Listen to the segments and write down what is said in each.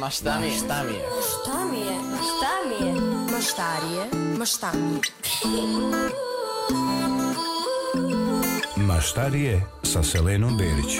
Ma šta mi je? Šta mi je? Šta mi je? Šta mi je? Maštarije, maštami. Maštarije sa Selenom Berić.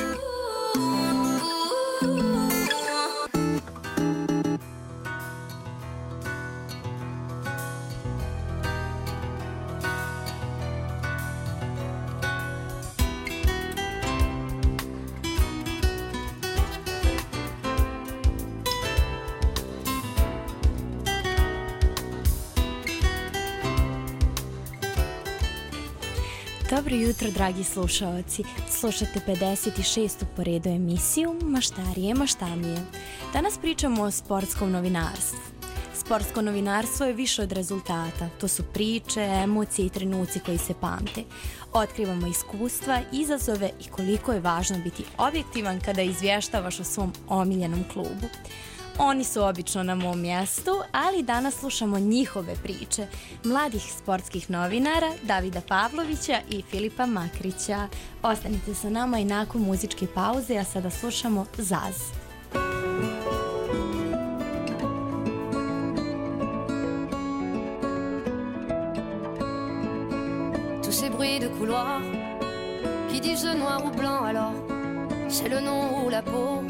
Dobro jutro, dragi slušaoci. Slušate 56. po redu emisiju Maštarije, maštamije. Danas pričamo o sportskom novinarstvu. Sportsko novinarstvo je više od rezultata. To su priče, emocije i trenuci koji se pamte. Otkrivamo iskustva, izazove i koliko je važno biti objektivan kada izvještavaš o svom omiljenom klubu. Oni su obično na mom mjestu, ali danas slušamo njihove priče, mladih sportskih novinara Davida Pavlovića i Filipa Makrića. Ostanite sa nama i nakon muzičke pauze, a sada slušamo Zaz. Tous ces bruits de couloir qui disent noir ou blanc, alors c'est le nom ou la peau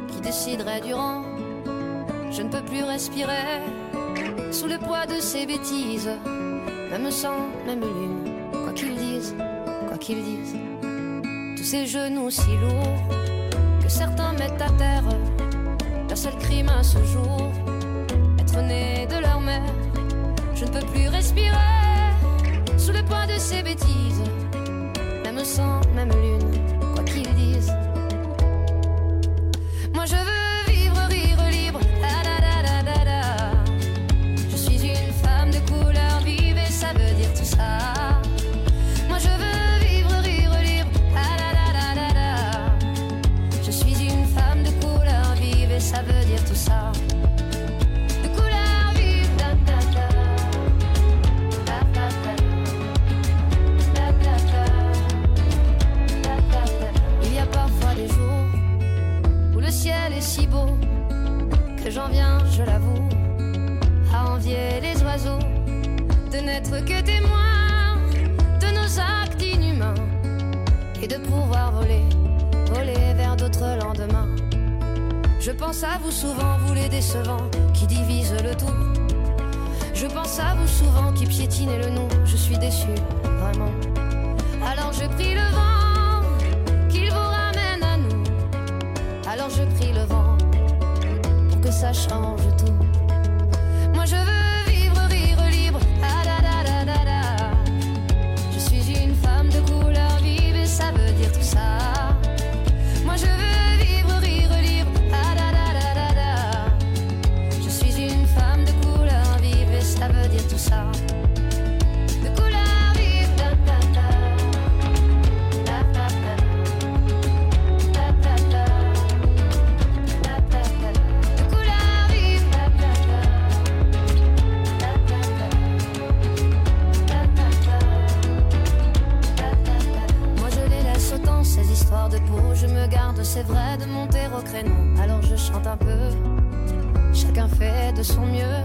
qui déciderait du rang. Je ne peux plus respirer sous le poids de ces bêtises. Même sang, même lune, quoi qu'ils disent, quoi qu'ils disent. Tous ces genoux si lourds que certains mettent à terre. Leur seul crime à ce jour, être né de leur mère. Je ne peux plus respirer sous le poids de ces bêtises. Même sang, même lune, quoi qu'ils disent. Moi je veux vivre, rire libre, la la la la la la. Je suis une femme de couleur vive et ça veut dire tout ça. Moi je veux vivre, rire libre, la la la la la la. Je suis une femme de couleur vive et ça veut dire tout ça. De couleur vive, da da da. Da da da. Da da da. Da da da. Il y a parfois des jours où le ciel est si beau que j'en viens, je l'avoue, à envier les oiseaux, de n'être que témoins de nos actes inhumains et de pouvoir voler, voler vers d'autres lendemains. Je pense à vous souvent, vous les décevants qui divisent le tout. Je pense à vous souvent qui piétinez le nom. Je suis déçu, vraiment. Alors je prie le vent qu'il vous ramène à nous. Alors je prie le vent pour que ça change tout. Moi je veux vivre, rire libre, ah da da da da da. Je suis une femme de couleur vive et ça veut dire tout ça. Moi je veux vivre, rire libre, ah da da da da da. Je suis une femme de couleur vive et ça veut dire tout ça. De couleur vive, da da da. Da da da. Da da da. Ces histoires de peau, je me garde, c'est vrai, de monter au créneau. Alors je chante un peu, chacun fait de son mieux.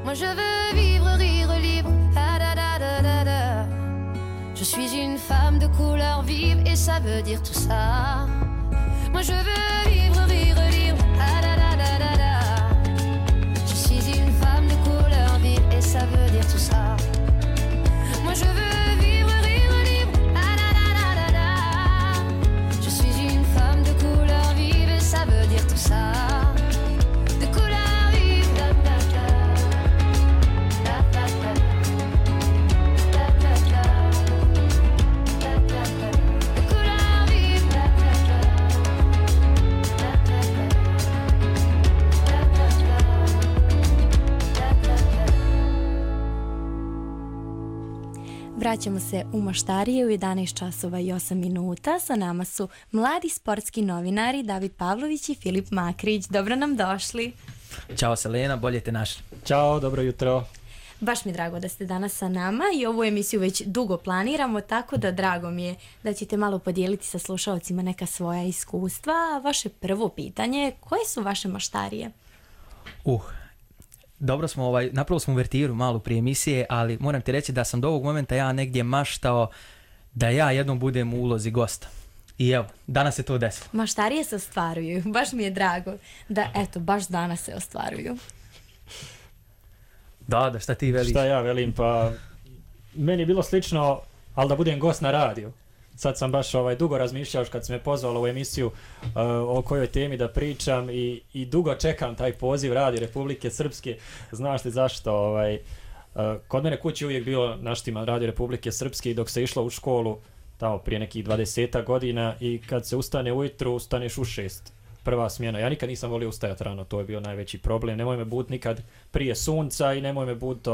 Moi je veux vivre, rire libre, ah da da da da da. Je suis une femme de couleur vive et ça veut dire tout ça. Moi je veux vivre, rire libre, ah da da da da da. Je suis une femme de couleur vive et ça veut dire tout ça. Moi je veux vivre, rire libre, ah da da da da da. Je suis une femme de couleur vive et ça veut dire tout ça. De couleur vive, da da da. Da da da. Da da da. Da da da. De couleur vive, da da da. Da da da. Da da da. Da da da. Vraćamo se u Maštarije u 11 časova i 8 minuta. Sa nama su mladi sportski novinari David Pavlović i Filip Makrić. Dobro nam došli. Ćao Selena, bolje te našli. Ćao, dobro jutro. Baš mi je drago da ste danas sa nama i ovu emisiju već dugo planiramo, tako da drago mi je da ćete malo podijeliti sa slušalcima neka svoja iskustva. Vaše prvo pitanje, koje su vaše maštarije? Dobro smo, napravili smo uvertiru malo prije emisije, ali moram ti reći da sam do ovog momenta ja negdje maštao da ja jednom budem u ulozi gosta. I evo, danas se to desilo. Maštarije se ostvaruju, baš mi je drago da, eto, baš danas se ostvaruju. Da, šta ti veliš? Šta ja velim, pa meni je bilo slično, ali da budem gost na radiju. Sad sam baš dugo razmišljao kad si me pozvalo u emisiju o kojoj temi da pričam i dugo čekam taj poziv Radi Republike Srpske. Znaš li zašto? Kod mene kući uvijek bilo naštima Radio Republike Srpske i dok se išlo u školu tamo prije nekih 20 godina i kad se ustane ujutru, ustaneš u 6. Prva smjena. Ja nikad nisam volio ustajati rano, to je bio najveći problem. Nemoj me buditi nikad prije sunca i nemoj me buditi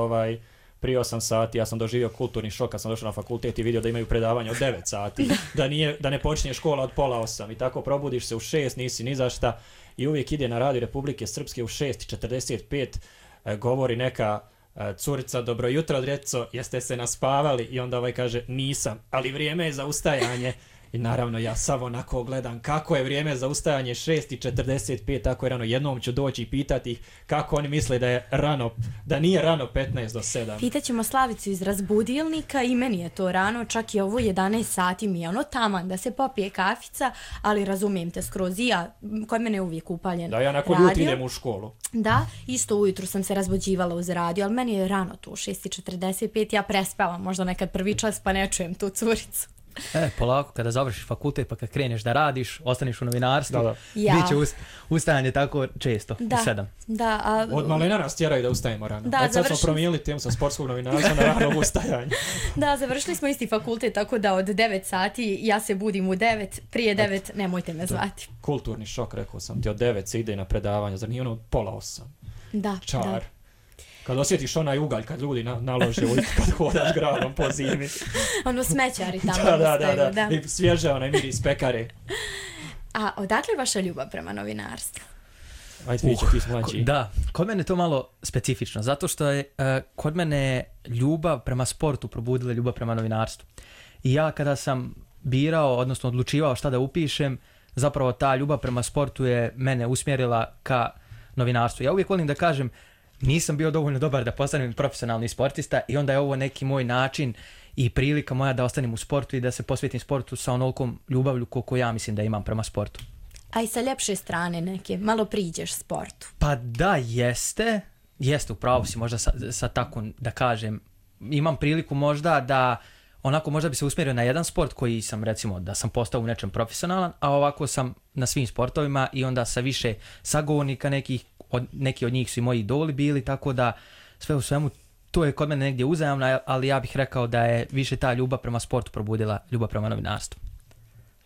prije 8 sati. Ja sam doživio kulturni šok kad sam došao na fakultet i vidio da imaju predavanje od 9 sati. Da ne počinje škola od pola 8. I tako probudiš se u 6, nisi ni za šta. I uvijek ide na Radio Republike Srpske u 6:45, govori neka curica, dobro jutro djeco, jeste se naspavali? I onda kaže nisam, ali vrijeme je za ustajanje. I naravno ja samo onako gledam kako je vrijeme za ustajanje 6:45, tako je rano. Jednom ću doći i pitati ih kako oni misle da je rano, da nije rano 15 do 7. Pitaćemo Slavicu iz razbudilnika i meni je to rano, čak i ovo 11 sati mi je taman da se popije kafica, ali razumijem te skroz i ja, kod mene je uvijek upaljen radio. Da, ja nakon jutro idem u školu. Da, isto ujutru sam se razbuđivala uz radio, ali meni je rano tu 6:45, ja prespavam možda nekad prvi čas pa ne čujem tu curicu. Polako, kada završiš fakultet pa kad kreneš da radiš, ostaneš u novinarstvu, ja. Biće ustajanje tako često, u 7. Da, od malena nas tjeraju da ustajemo rano. Da, sad smo promijenili temu sa sportskog novinarstva na ranog ustajanja. Da, završili smo isti fakultet, tako da od 9 sati ja se budim u 9, prije 9 nemojte me zvati. Kulturni šok, rekao sam ti, od 9 se ide na predavanje, zar nije od pola 8? Da, čar. Da. Kad osjetiš onaj ugalj, kad ljudi nalože kad hodaš gradom po zimi. Smećari tamo da. I svježe onaj miris pekare. A odakle je vaša ljubav prema novinarstvu? Ajde, ti si mlađi. Da, kod mene je to malo specifično, zato što je kod mene ljubav prema sportu probudila ljubav prema novinarstvu. I ja kada sam birao, odnosno odlučivao šta da upišem, zapravo ta ljubav prema sportu je mene usmjerila ka novinarstvu. Ja uvijek volim da kažem, nisam bio dovoljno dobar da postanem profesionalni sportista i onda je ovo neki moj način i prilika moja da ostanem u sportu i da se posvetim sportu sa onolikom ljubavlju koliko ja mislim da imam prema sportu. A i sa ljepše strane neke, malo priđeš sportu. Pa da, jeste upravo si možda sa tako da kažem. Imam priliku možda da onako možda bi se usmjerio na jedan sport koji sam recimo da sam postao u nečem profesionalan, a ovako sam na svim sportovima i onda sa više sagovornika neki od njih su i moji idoli bili, tako da sve u svemu to je kod mene negdje uzajamno, ali ja bih rekao da je više ta ljubav prema sportu probudila ljubav prema novinarstvu.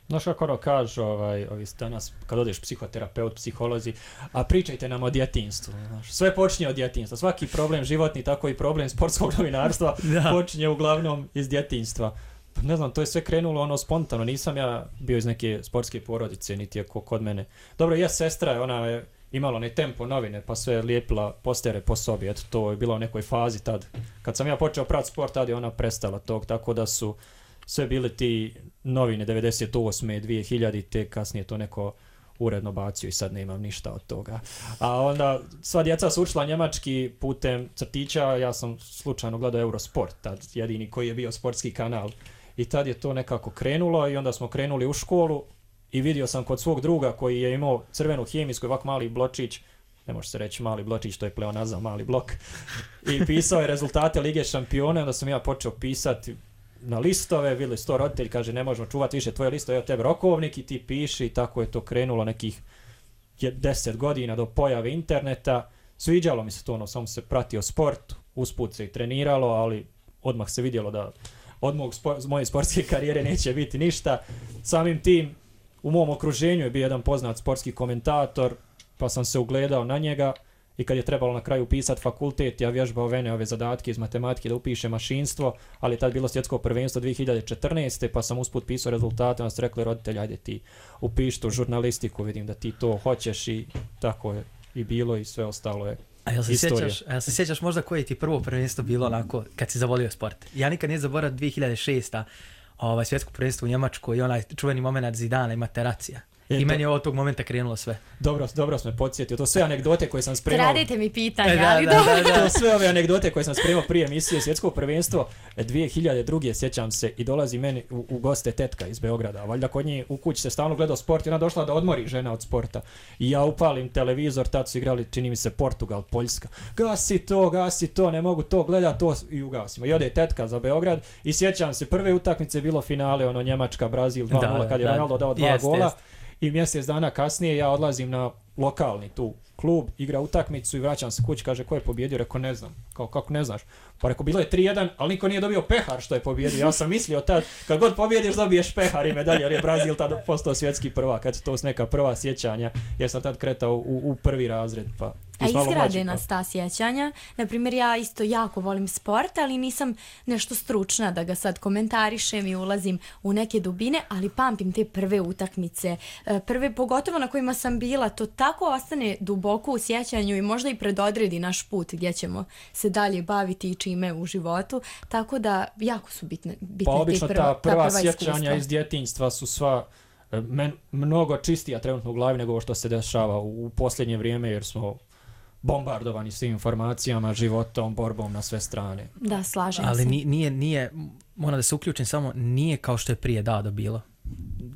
Znaš kako kažu ovi danas kad odeš psihoterapeut, psiholozi, a pričajte nam o djetinjstvu. Sve počinje od djetinjstva. Svaki problem životni, tako i problem sportskog novinarstva počinje uglavnom iz djetinjstva. Ne znam, to je sve krenulo spontano. Nisam ja bio iz neke sportske porodice, niti je kod mene. Dobro, sestra, ona je imala onaj Tempo novine, pa sve lijepila postere po sobi. Eto, to je bilo u nekoj fazi tad. Kad sam ja počeo pratiti sport, tad je ona prestala tog, tako da su sve bili ti novine 98. 2000, te kasnije to neko uredno bacio i sad nemam ništa od toga. A onda sva djeca su učila njemački putem crtića, ja sam slučajno gledao Eurosport, tad jedini koji je bio sportski kanal. I tad je to nekako krenulo i onda smo krenuli u školu i vidio sam kod svog druga koji je imao crvenu hemijsku, ovak mali bločić, ne može se reći mali bločić, to je pleonazam, mali blok, i pisao je rezultate Lige šampiona, onda sam ja počeo pisati na listove, vidjeli su to roditelj, kaže ne možemo čuvati više tvoje listove, evo tebi rokovnik i ti piši, i tako je to krenulo nekih 10 godina do pojave interneta. Sviđalo mi se to, samo se pratio sport, usput se i treniralo, ali odmah se vidjelo da od moje sportske karijere neće biti ništa. Samim tim, u mom okruženju je bio jedan poznat sportski komentator, pa sam se ugledao na njega i kad je trebalo na kraju upisati fakultet, ja vježbao ove zadatke iz matematike da upišem mašinstvo, ali je tad bilo svjetsko prvenstvo 2014. pa sam usput pisao rezultate, onda su rekli roditelji, ajde ti upiši tu žurnalistiku, vidim da ti to hoćeš, i tako je i bilo i sve ostalo je. A Istorija. jel se sjećaš možda koje ti prvo prvenstvo bilo onako kad si zavolio sport? Ja nikad nije zaboravio 2006. Svjetsko prvenstvo u Njemačkoj i onaj čuveni moment Zidana i Materacija. I meni je od tog momenta krenulo sve. Dobro smo podsjetio. To sve anegdote koje sam spremao. Kradite mi pitanje, ali dobro. To sve ove anegdote koje sam spremao prije emisije Svjetsko prvenstvo 2002. sjećam se i dolazi meni u goste tetka iz Beograda. Valjda kod nje u kući se stalno gledao sport i ona došla da odmori žena od sporta. I ja upalim televizor, tad su igrali, čini mi se, Portugal, Poljska. Gasi to, ne mogu to gledati, to i ugasimo. I ode tetka za Beograd i sjećam se, prve utakmice bilo finale, Njemačka, Brazil 2-0 kad je Ronaldo dao 2 gola. I mjesec dana kasnije ja odlazim na lokalni tu klub, igra utakmicu i vraćam se kući, kaže ko je pobjedio, rekao ne znam, kako ne znaš, pa rekao bilo je 3-1, ali niko nije dobio pehar što je pobjedio, ja sam mislio tad, kad god pobjediš dobiješ pehar i medalje, jer je Brazil tad postao svjetski prvak, kad to su neka prva sjećanja, jer sam tad kretao u prvi razred, pa... A izgrade nas ta sjećanja. Naprimjer, ja isto jako volim sport, ali nisam nešto stručna da ga sad komentarišem i ulazim u neke dubine, ali pamtim te prve utakmice. Prve, pogotovo na kojima sam bila, to tako ostane duboko u sjećanju i možda i predodredi naš put gdje ćemo se dalje baviti i čime u životu. Tako da jako su bitne pa obično ta prva sjećanja iskustva. iz djetinjstva su sva mnogo čistija trenutno u glavi nego što se dešava u posljednje vrijeme, jer smo bombardovani svim informacijama, životom, borbom na sve strane. Da, slažem se. Ali nije, moram da se uključim samo, nije kao što je prije bilo.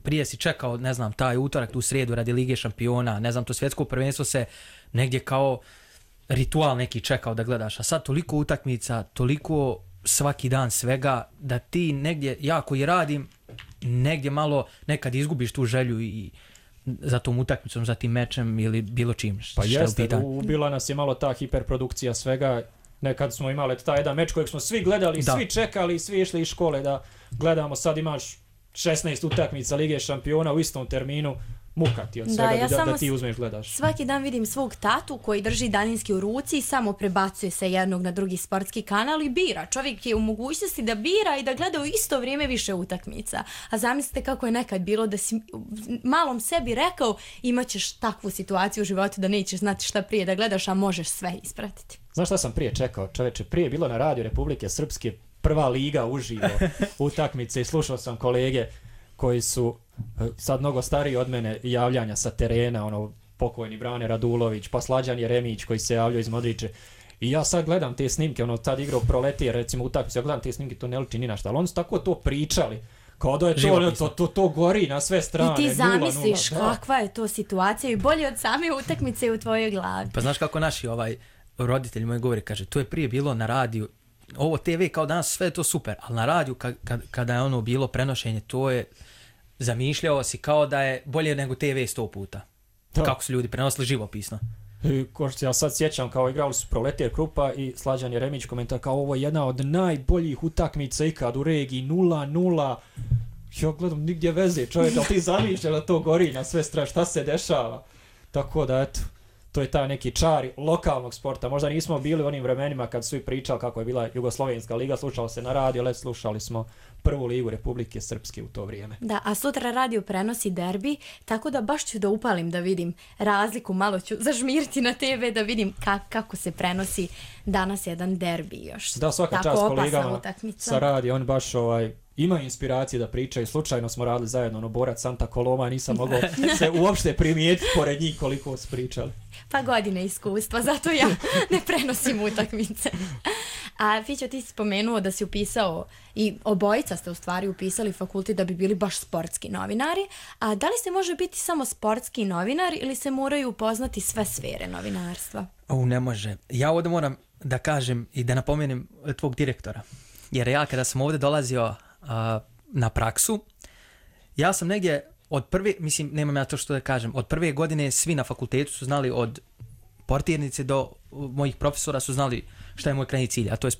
Prije si čekao, ne znam, taj utorak, tu srijedu radi Lige šampiona, ne znam, to svjetsko prvenstvo se negdje kao ritual neki čekao da gledaš, a sad toliko utakmica, toliko svaki dan svega, da ti negdje, ja koji radim, negdje malo nekad izgubiš tu želju i za tom utakmicom, za tim mečem ili bilo čim. Pa jeste, ubila nas je malo ta hiperprodukcija svega. Nekad smo imali taj jedan meč kojeg smo svi gledali, svi čekali, svi išli iz škole da gledamo. Sad imaš 16 utakmica Lige šampiona u istom terminu. Muka ti od svega da ti uzmeš gledaš. Svaki dan vidim svog tatu koji drži daljinski u ruci i samo prebacuje se jednog na drugi sportski kanal i bira. Čovjek je u mogućnosti da bira i da gleda u isto vrijeme više utakmica. A zamislite kako je nekad bilo da si malom sebi rekao imaćeš takvu situaciju u životu da nećeš znati šta prije da gledaš, a možeš sve ispratiti. Znaš šta sam prije čekao? Čoveče, prije je bilo na radiju Republike Srpske prva liga uživo utakmice i slušao sam kolege koji su sad mnogo stariji od mene, javljanja sa terena, pokojni Brane Radulović, pa Slađan Jeremić koji se javljao iz Modriče. I ja sad gledam te snimke, tad igrao Proletije, recimo utakmicu, ja gledam te snimke, to ne liči ni na šta, ali oni su tako to pričali. Kao da je to gori na sve strane. I ti zamisliš kakva je to situacija i bolje od same utakmice u tvojoj glavi. Pa znaš kako naši roditelji moji govore, kaže, to je prije bilo na radiju, ovo TV kao danas sve je to super, ali na radiju kada je bilo prenošenje, to je zamišljao si kao da je bolje nego TV 100 puta. Da. Kako su ljudi prenosili živopisno. Ja sad sjećam kao igrali su Proletije Krupa i Slađan Jeremić komentar kao ovo je jedna od najboljih utakmica ikad u regiji 0-0. Ja gledam nigdje veze čovjek, ali ti zamišljaš da to gori na sve strane, šta se dešava. Tako da eto, to je taj neki čar lokalnog sporta. Možda nismo bili u onim vremenima kad su i pričali kako je bila Jugoslovenska liga, slušalo se na radio, ali slušali smo prvu ligu Republike Srpske u to vrijeme. Da, a sutra radio prenosi derbi, tako da baš ću da upalim da vidim razliku, malo ću zažmiriti na TV da vidim kako se prenosi danas jedan derbi još. Da, svaka čast kolegama sa radio, on baš ima inspiracije da pričaju. Slučajno smo radili zajedno Borac Santa Coloma, nisam mogao se uopšte primijetiti pored njih koliko su pričali. Pa godine iskustva, zato ja ne prenosim utakmice. A Fićo, ti si spomenuo da si upisao i obojica ste u stvari upisali fakultet da bi bili baš sportski novinari. A da li se može biti samo sportski novinar ili se moraju upoznati sve sfere novinarstva? Ne može. Ja ovdje moram da kažem i da napomenem tvog direktora. Jer ja kada sam ovdje dolazio na praksu, ja sam negdje od prve, mislim, nemam ja to što da kažem, od prve godine svi na fakultetu su znali, od portirnice do mojih profesora su znali šta je moj krajnji cilj, a to je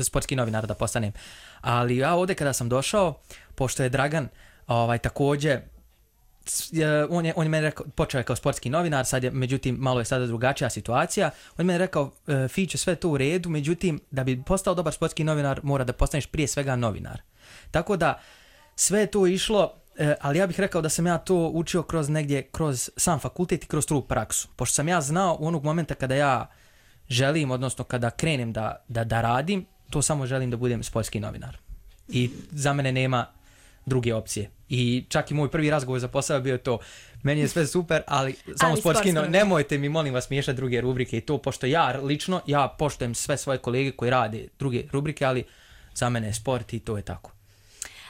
sportski novinar da postanem. Ali ja ovdje kada sam došao, pošto je Dragan također, on je meni rekao, počeo je kao sportski novinar, sad je, međutim, malo je sada drugačija situacija. On je meni rekao, Fićo, sve to u redu, međutim, da bi postao dobar sportski novinar, mora da postaneš prije svega novinar. Tako da, sve je to išlo, ali ja bih rekao da sam ja to učio kroz sam fakultet i kroz tu praksu. Pošto sam ja znao u onog momenta kada ja želim, odnosno kada krenem da radim, to samo želim da budem sportski novinar. I za mene nema druge opcije. I čak i moj prvi razgovor za posao bio to. Meni je sve super, ali samo sportski novinar. Nemojte mi, molim vas, miješati druge rubrike i to, pošto ja poštujem sve svoje kolege koji rade druge rubrike, ali za mene je sport i to je tako.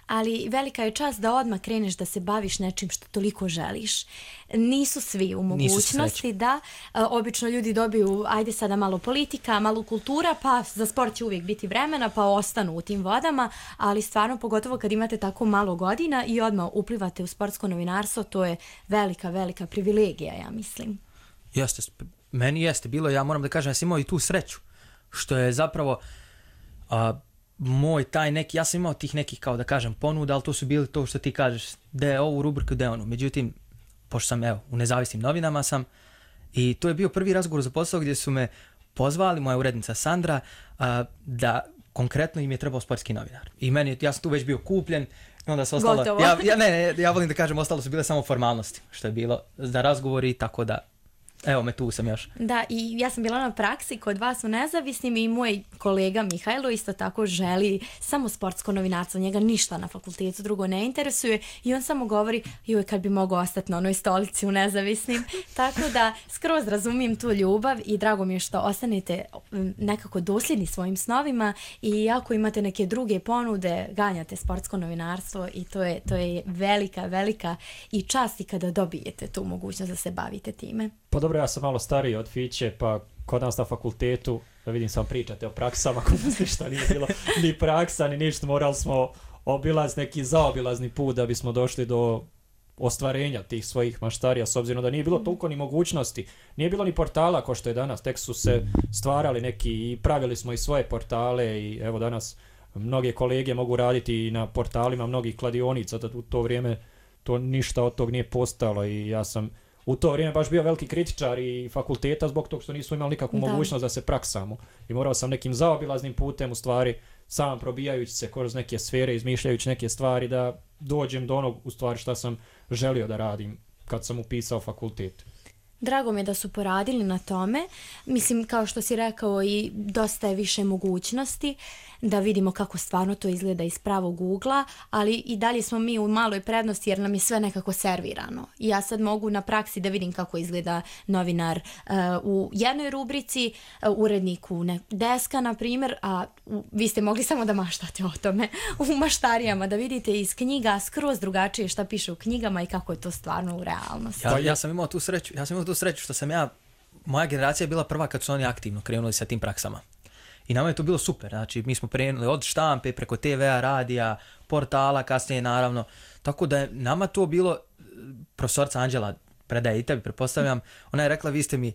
Ali velika je čast da odmah kreneš da se baviš nečim što toliko želiš. Nisu svi u mogućnosti da obično ljudi dobiju, ajde sada malo politika, malo kultura, pa za sport će uvijek biti vremena, pa ostanu u tim vodama, ali stvarno pogotovo kad imate tako malo godina i odmah uplivate u sportsko novinarstvo, to je velika, velika privilegija, ja mislim. Jeste, meni jeste bilo, ja moram da kažem, ja sam imao i tu sreću, što je zapravo... moj taj neki, ja sam imao tih nekih, kao da kažem, ponuda, ali to su bili to što ti kažeš, da je ovu rubriku, da je onu. Međutim, pošto sam, u nezavisnim novinama sam, i to je bio prvi razgovor za posao gdje su me pozvali, moja urednica Sandra, da konkretno im je trebao sportski novinar. I ja sam tu već bio kupljen, i onda se ostalo... Gotovo. Ja volim da kažem, ostalo su bile samo formalnosti, što je bilo za razgovori, tako da... Evo me, tu sam još. Da, i ja sam bila na praksi kod vas u Nezavisnim i moj kolega Mihajlo isto tako želi samo sportsko novinarstvo, njega ništa na fakultetu drugo ne interesuje i on samo govori, joj, kad bi mogao ostati na onoj stolici u Nezavisnim. Tako da skroz razumijem tu ljubav i drago mi je što ostanete nekako dosljedni svojim snovima i ako imate neke druge ponude, ganjate sportsko novinarstvo i to je velika, velika i čast i kada dobijete tu mogućnost da se bavite time. Pa dobro, ja sam malo stariji od Fiće, pa kod nas na fakultetu, da vidim sam pričate o praksama, kod nas ništa nije bilo, ni praksa, ni ništa, morali smo neki zaobilazni put da bismo došli do ostvarenja tih svojih maštarija, s obzirom da nije bilo toliko ni mogućnosti, nije bilo ni portala kao što je danas, tek su se stvarali neki i pravili smo i svoje portale i evo danas mnoge kolege mogu raditi i na portalima mnogih kladionica, da u to vrijeme to ništa od tog nije postalo i ja sam u to vrijeme baš bio veliki kritičar i fakulteta zbog toga što nismo imali nikakvu mogućnost da se praksamo. I morao sam nekim zaobilaznim putem, u stvari, sam probijajući se kroz neke sfere, izmišljajući neke stvari, da dođem do onog, u stvari, šta sam želio da radim kad sam upisao fakultet. Drago mi je da su poradili na tome. Mislim, kao što si rekao, i dosta je više mogućnosti da vidimo kako stvarno to izgleda iz pravog ugla, ali i dalje smo mi u maloj prednosti jer nam je sve nekako servirano. I ja sad mogu na praksi da vidim kako izgleda novinar u jednoj rubrici, uredniku deska, na primjer, a vi ste mogli samo da maštate o tome u maštarijama, da vidite iz knjiga skroz drugačije šta piše u knjigama i kako je to stvarno u realnosti. Ja sam imao tu sreću što sam moja generacija je bila prva kad su oni aktivno krenuli sa tim praksama. I nama je to bilo super, znači mi smo krenuli od štampe, preko TV-a, radija, portala, kasnije naravno. Tako da je nama to bilo, profesorica Anđela predaje i tebi, pretpostavljam, ona je rekla vi ste mi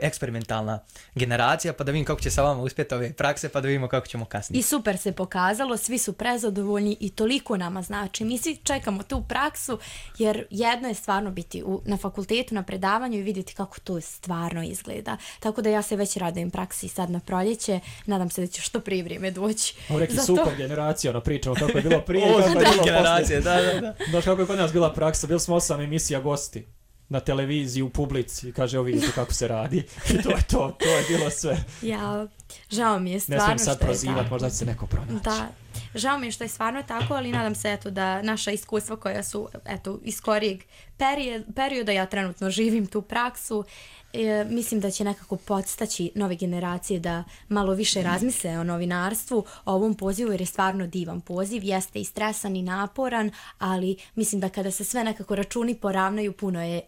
eksperimentalna generacija, pa da vidim kako će sa vama uspjeti ove prakse, pa da vidimo kako ćemo kasnije. I super se pokazalo, svi su prezadovoljni i toliko nama znači. Mi svi čekamo tu praksu, jer jedno je stvarno biti na fakultetu, na predavanju i vidjeti kako to stvarno izgleda. Tako da ja se već radujem praksi sad na proljeće, nadam se da će što prije vrijeme doći. Rekli sukob generacija, pričamo kako je bilo prije, kako je bilo generacije, da. Znaš kako je kod nas bila praksa, bili smo 8 emisija gosti na televiziji, u publici i kaže, vidite kako se radi. I to je bilo sve. Ja, žao mi je stvarno što je tako. Ne smijem sad prozivati, možda će se neko pronaći. Da, žao mi je što je stvarno tako, ali nadam se da naša iskustva koja su iz skorijeg perioda, ja trenutno živim tu praksu, mislim da će nekako podstaći nove generacije da malo više razmisle o novinarstvu, o ovom pozivu, jer je stvarno divan poziv, jeste i stresan i naporan, ali mislim da kada se sve nekako računi poravnaju, puno je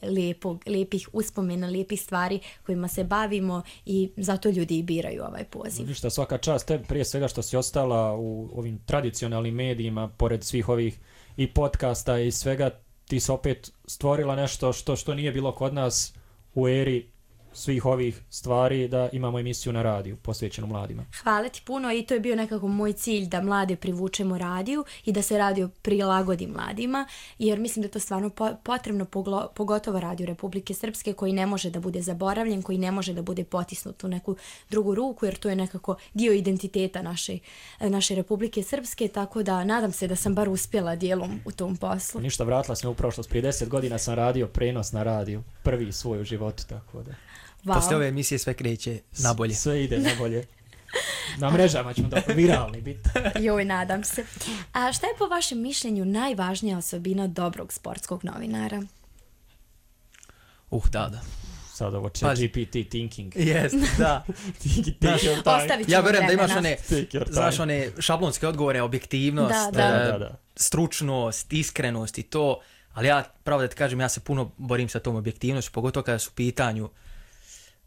lijepih uspomena, lijepih stvari kojima se bavimo i zato ljudi i biraju ovaj poziv. Ništa, svaka čast tebi prije svega što si ostala u ovim tradicionalnim medijima, pored svih ovih i podcasta i svega, ti si opet stvorila nešto što nije bilo kod nas u eri svih ovih stvari, da imamo emisiju na radiju posvećenu mladima. Hvala ti puno i to je bio nekako moj cilj, da mlade privučemo radiju i da se radio prilagodi mladima, jer mislim da je to stvarno potrebno, pogotovo Radio Republike Srpske, koji ne može da bude zaboravljen, koji ne može da bude potisnut u neku drugu ruku, jer to je nekako dio identiteta naše Republike Srpske, tako da nadam se da sam bar uspjela dijelom u tom poslu. Ništa, vratila sam u prošlost, prije 10 godina sam radio prenos na radiju, prvi svoj u životu, tako da. Poslije ove emisije sve kreće na bolje. Sve ide na bolje. Na mrežama ćemo da viralni biti. Joj, nadam se. A šta je po vašem mišljenju najvažnija osobina dobrog sportskog novinara? Da. Sad ovo ChatGPT thinking. Jest, da. Ostavit ćemo Ja vjerujem da imaš Znaš, one šablonske odgovore, objektivnost, Da. stručnost, iskrenost i to, ali ja, pravo da ti kažem, ja se puno borim sa tom objektivnošću, pogotovo kada su u pitanju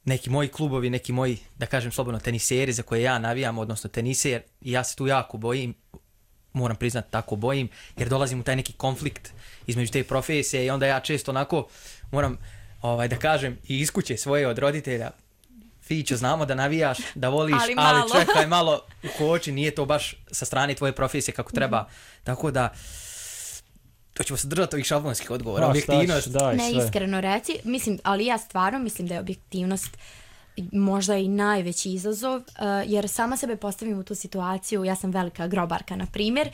neki moji klubovi, neki moji, da kažem slobodno, teniseri za koje ja navijam, odnosno teniser, i ja se tu jako bojim, moram priznati tako bojim, jer dolazim u taj neki konflikt između te profesije i onda ja često onako moram, da kažem, i iz kuće svoje od roditelja, Fićo, znamo da navijaš, da voliš, ali čekaj malo u koči, nije to baš sa strane tvoje profesije kako treba. Tako da, to ćemo se držati ovih šablonskih odgovora. Objektivnost. Ne, iskreno reci, mislim, ali ja stvarno mislim da je objektivnost možda i najveći izazov, jer sama sebe postavim u tu situaciju, ja sam velika grobarka, na primjer,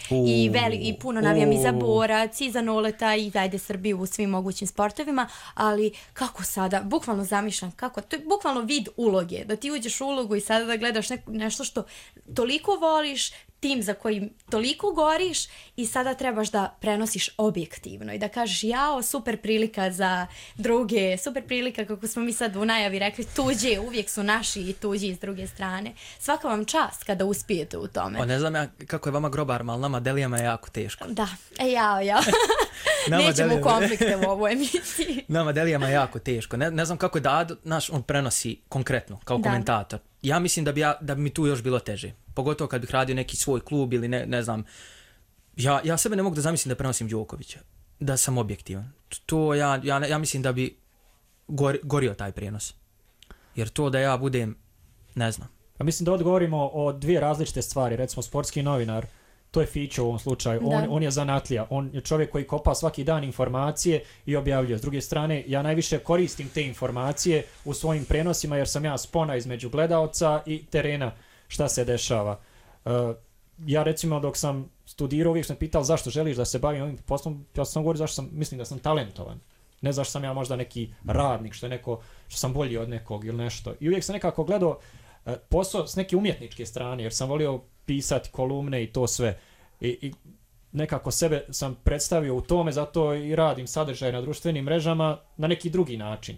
i puno navijam i za borac, i za noleta, i zajde Srbiju u svim mogućim sportovima, ali kako sada, bukvalno zamišljam, kako, to je bukvalno vid uloge, da ti uđeš u ulogu i sada da gledaš nešto što toliko voliš, tim za kojim toliko goriš i sada trebaš da prenosiš objektivno i da kažeš jao, super prilika za druge, super prilika kako smo mi sad u najavi rekli, tuđe, uvijek su naši i tuđi s druge strane. Svaka vam čast kada uspijete u tome. Ne znam ja kako je vama grobarima, ali nama delijama je jako teško. Da, nećemo u konflikte u ovoj emisiji. Nama delijama je jako teško. Ne znam kako je Dado, on prenosi konkretno kao komentator. Ja mislim da bi mi tu još bilo teže. Pogotovo kad bih radio neki svoj klub ili ne znam. Ja sebe ne mogu da zamislim da prenosim Đokovića. Da sam objektivan. To ja mislim da bi gorio taj prijenos. Jer to da ja budem, ne znam. Pa mislim da odgovorimo o dvije različite stvari. Recimo sportski novinar, to je Fićo u ovom slučaju. On je zanatlija. On je čovjek koji kopa svaki dan informacije i objavljuje. S druge strane, ja najviše koristim te informacije u svojim prenosima jer sam ja spona između gledaoca i terena šta se dešava. Ja recimo dok sam studirao uvijek sam pitao zašto želiš da se bavim ovim poslom. Ja sam govorio zašto mislim da sam talentovan. Ne zašto sam ja možda neki radnik, što sam bolji od nekog ili nešto. I uvijek sam nekako gledao posao s neke umjetničke strane jer sam volio pisati kolumne i to sve. I nekako sebe sam predstavio u tome, zato i radim sadržaj na društvenim mrežama na neki drugi način.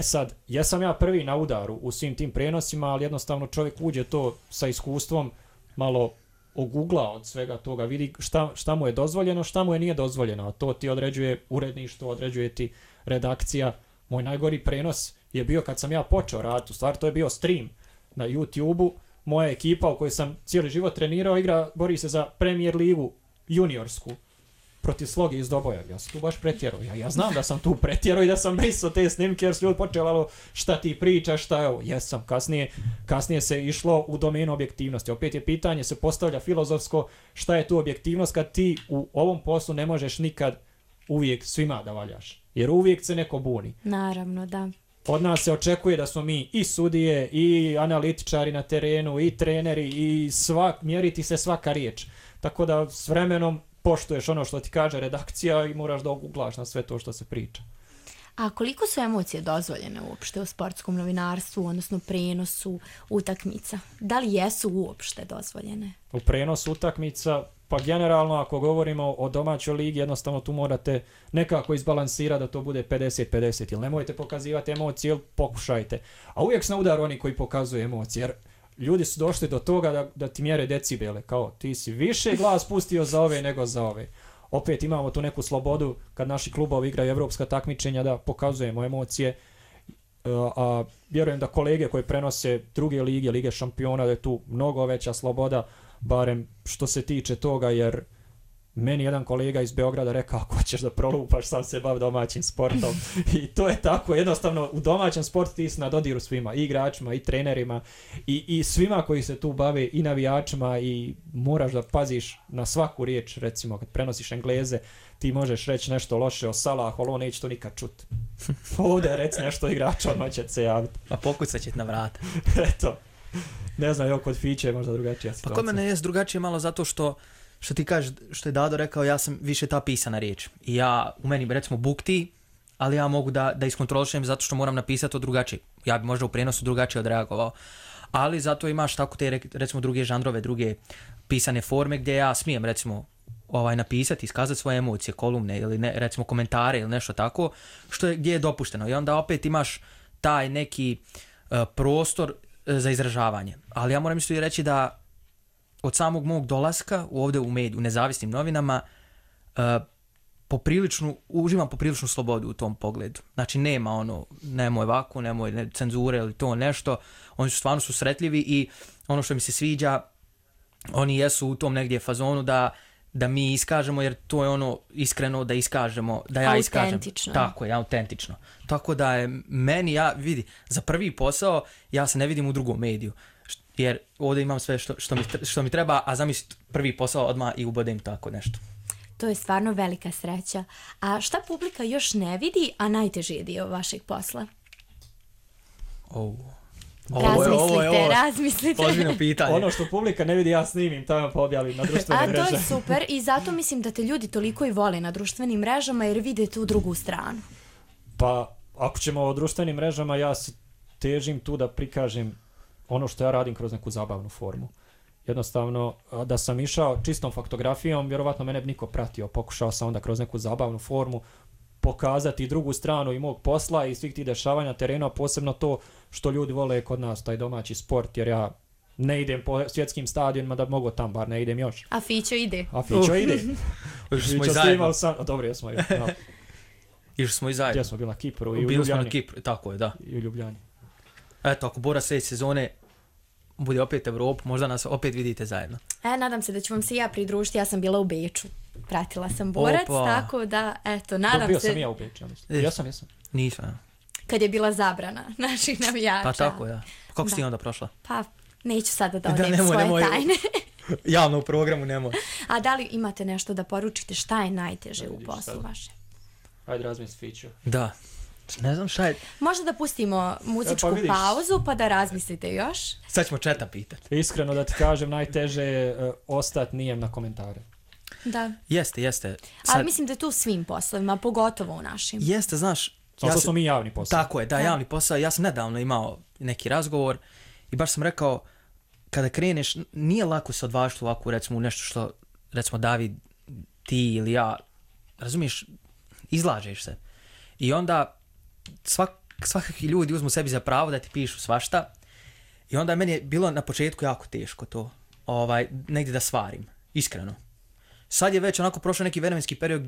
Sad, jesam ja prvi na udaru u svim tim prenosima, ali jednostavno čovjek uđe to sa iskustvom, malo ogugla od svega toga, vidi šta mu je dozvoljeno, šta mu je nije dozvoljeno, a to ti određuje uredništvo, određuje ti redakcija. Moj najgori prenos je bio kad sam ja počeo raditi, u stvari to je bio stream na YouTube-u, moja ekipa u kojoj sam cijeli život trenirao bori se za Premier ligu juniorsku protiv Sloge iz Doboja. Ja sam tu baš pretjerao. Ja znam da sam tu pretjerao i da sam brisao te snimke jer su ljudi počeli šta ti pričaš, šta evo. Jesam, kasnije se išlo u domenu objektivnosti. Opet je pitanje, se postavlja filozofsko, šta je tu objektivnost kad ti u ovom poslu ne možeš nikad uvijek svima da valjaš. Jer uvijek se neko buni. Naravno, da. Od nas se očekuje da smo mi i sudije, i analitičari na terenu, i treneri, i mjeriti se svaka riječ. Tako da s vremenom poštuješ ono što ti kaže redakcija i moraš da oguglaš na sve to što se priča. A koliko su emocije dozvoljene uopšte u sportskom novinarstvu, odnosno prenosu utakmica? Da li jesu uopšte dozvoljene? U prenosu utakmica, pa generalno ako govorimo o domaćoj ligi, jednostavno tu morate nekako izbalansirati da to bude 50-50. Ili nemojte pokazivati emocije, ili pokušajte. A uvijek su na udaru oni koji pokazuju emocije, jer ljudi su došli do toga da ti mjere decibele, kao ti si više glas pustio za ove nego za ove. Opet imamo tu neku slobodu kad naši klubovi igraju evropska takmičenja da pokazujemo emocije, a vjerujem da kolege koji prenose druge lige šampiona, da je tu mnogo veća sloboda, barem što se tiče toga, jer meni jedan kolega iz Beograda rekao ako ćeš da prolupaš, sam se bavi domaćim sportom. I to je tako, jednostavno u domaćem sportu ti si na dodiru svima, i igračima, i trenerima, i svima koji se tu bave, i navijačima, i moraš da paziš na svaku riječ. Recimo kad prenosiš Engleze, ti možeš reći nešto loše o Salahu, ali on neće to nikad čuti. Ovdje reci nešto igrača, odmah će se javiti. Pa pokucat će na vrata. Eto, ne znam, kod Fiće je možda drugačija situacija. Pa kod mene je drugačije malo zato što ti kažeš, što je Dado rekao, ja sam više ta pisana riječ. I u meni, recimo, bukti, ali ja mogu da iskontrolišem zato što moram napisati to drugačije. Ja bi možda u prijenosu drugačije odreagovao. Ali zato imaš tako te recimo druge žanrove, druge pisane forme gdje ja smijem recimo napisati, iskazati svoje emocije, kolumne ili recimo komentare ili nešto tako, gdje je dopušteno. I onda opet imaš taj neki prostor za izražavanje. Ali ja moram isto i reći da od samog mog dolaska ovdje u nezavisnim novinama uživam popriličnu slobodu u tom pogledu. Znači nema nemoj ovako, nemoj cenzure ili to nešto. Oni su stvarno susretljivi i ono što mi se sviđa, oni jesu u tom negdje fazonu da mi iskažemo, jer to je iskreno da iskažemo, da ja iskažem. Autentično. Tako je, autentično. Tako da je meni, vidi, za prvi posao ja se ne vidim u drugom mediju. Jer ovdje imam sve što mi treba, a zamisliti prvi posao odmah i ubodem tako nešto. To je stvarno velika sreća. A šta publika još ne vidi, a najteži je dio vašeg posla? Razmislite. Ozbiljno pitanje. Ono što publika ne vidi, ja snimim, tamo pa objavim na društvenim mrežama. A to je super i zato mislim da te ljudi toliko i vole na društvenim mrežama jer vide tu drugu stranu. Pa, ako ćemo o društvenim mrežama, ja se težim tu da prikažem ono što ja radim kroz neku zabavnu formu. Jednostavno, da sam išao čistom faktografijom, vjerovatno mene bi niko pratio. Pokušao sam onda kroz neku zabavnu formu pokazati drugu stranu i mog posla i svih tih dešavanja terena, posebno to što ljudi vole kod nas, taj domaći sport, jer ja ne idem po svjetskim stadionima da bi mogo tam, bar ne idem još. A Fićo ide. Smo i zajedno. Dobro, jesmo. Išli smo i zajedno. Gdje smo bili na Kipru i u Bili Ljubljani. smo na Kipru, tako je, da. I u Ljubljani. Eto, ako Bora sljedeće sezone bude opet Evropu, možda nas opet vidite zajedno. Nadam se da ću vam se ja pridružiti, ja sam bila u Beču. Pratila sam Borac, tako da, eto, nadam se... Bio sam ja u Beču, jesam. Nisam. Kad je bila zabrana naših navijača. Pa tako, da. Kako si ti onda prošla? Pa, neću sada da odem svoje tajne. Javno u programu nemoj. A da li imate nešto da poručite šta je najteže u poslu vaše? Ajde, razmisli Fiću. Da. Ne znam šta je... Možda da pustimo muzičku pauzu pa da razmislite još. Sad ćemo Četa pitati. Iskreno da ti kažem, najteže je ostati nijem na komentare. Da. Jeste. Ali mislim da je tu svim poslovima, pogotovo u našim. Jeste, znaš... To smo mi javni posao. Tako je, da, javni posao. Ja sam nedavno imao neki razgovor i baš sam rekao, kada kreneš, nije lako se odvažiti ovako, recimo, u nešto što, recimo, David, ti ili ja, razumiješ, izlažeš se. I onda svakakvi ljudi uzmu sebi za pravo da ti pišu svašta i onda meni je bilo na početku jako teško to negdje da svarim, iskreno. Sad je već onako prošao neki vremenski period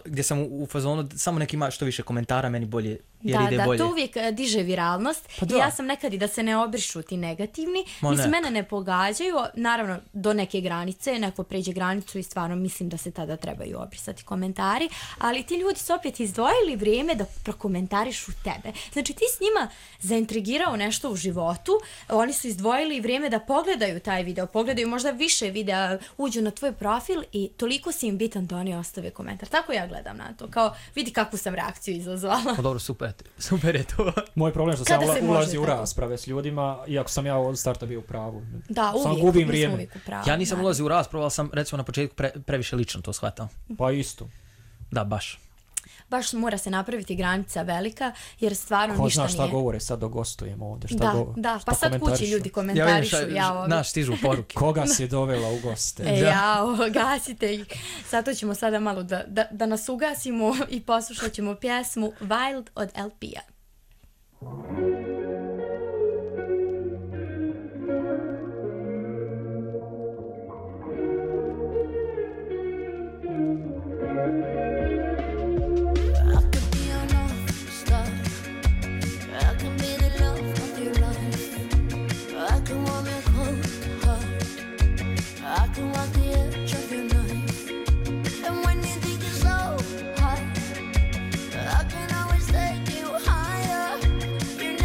gdje sam u fazonu samo neki ima što više komentara, meni bolje, jer ide bolje. Da, to uvijek diže viralnost. Pa i ja sam nekad i da se ne obrišu ti negativni. Mene ne pogađaju, naravno do neke granice, neko pređe granicu i stvarno mislim da se tada trebaju obrisati komentari, ali ti ljudi su opet izdvojili vrijeme da prokomentarišu tebe. Znači ti s njima zaintrigirao nešto u životu, oni su izdvojili vrijeme da pogledaju taj video, pogledaju možda više videa, uđu na tvoj profil i toliko si im bitan da oni ostave komentar. Tako ja gledam na to, kao vidi kakvu sam reakciju izazvala. Pa dobro, super je to. Moj problem je što sam ulazi u rasprave s ljudima, iako sam ja od starta bio u pravu. Da, uvijek. Gubim vrijeme. Ja nisam ulazio u raspravu, ali sam recimo na početku previše lično to shvatao. Pa isto. Da, baš. Baš mora se napraviti granica velika, jer stvarno ništa nije... Ko zna šta govore, sad dogostujemo ovdje, Da, pa sad kući ljudi komentarišu. Naš stižu poruke. Koga si dovela u goste? Gasite ih. Zato ćemo sada malo da nas ugasimo i poslušat ćemo pjesmu Wild od LP-a. I can always take you higher. You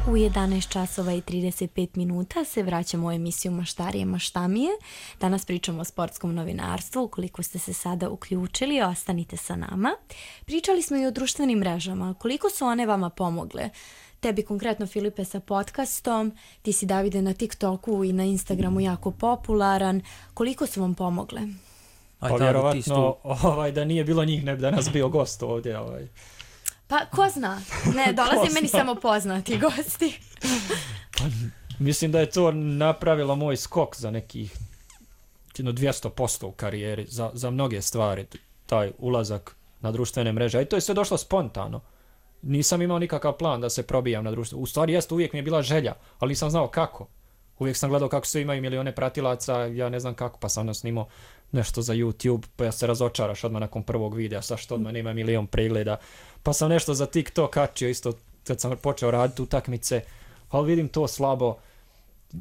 U 11 časova i 35 minuta se vraćamo u emisiju Maštarije maštamije. Danas pričamo o sportskom novinarstvu. Ukoliko ste se sada uključili, ostanite sa nama. Pričali smo i o društvenim mrežama. Koliko su one vama pomogle? Tebi konkretno, Filipe, sa podcastom, ti si, Davide, na TikToku i na Instagramu jako popularan. Koliko su vam pomogle? Pa vjerovatno da nije bilo njih, ne bi danas bio gost ovdje. Pa ko zna? Ne, dolazi meni samo poznati gosti. Mislim da je to napravilo moj skok za nekih 200% u karijeri, za mnoge stvari, taj ulazak na društvene mreže. I to je sve došlo spontano. Nisam imao nikakav plan da se probijam na društvo. U stvari uvijek mi je bila želja, ali nisam znao kako. Uvijek sam gledao kako svi imaju milione pratilaca, ja ne znam kako, pa sam onda snimao nešto za YouTube, pa ja se razočaraš odmah nakon prvog videa, sa što odmah nema milion pregleda. Pa sam nešto za TikTok kačio isto kad sam počeo raditi utakmice, ali vidim to slabo.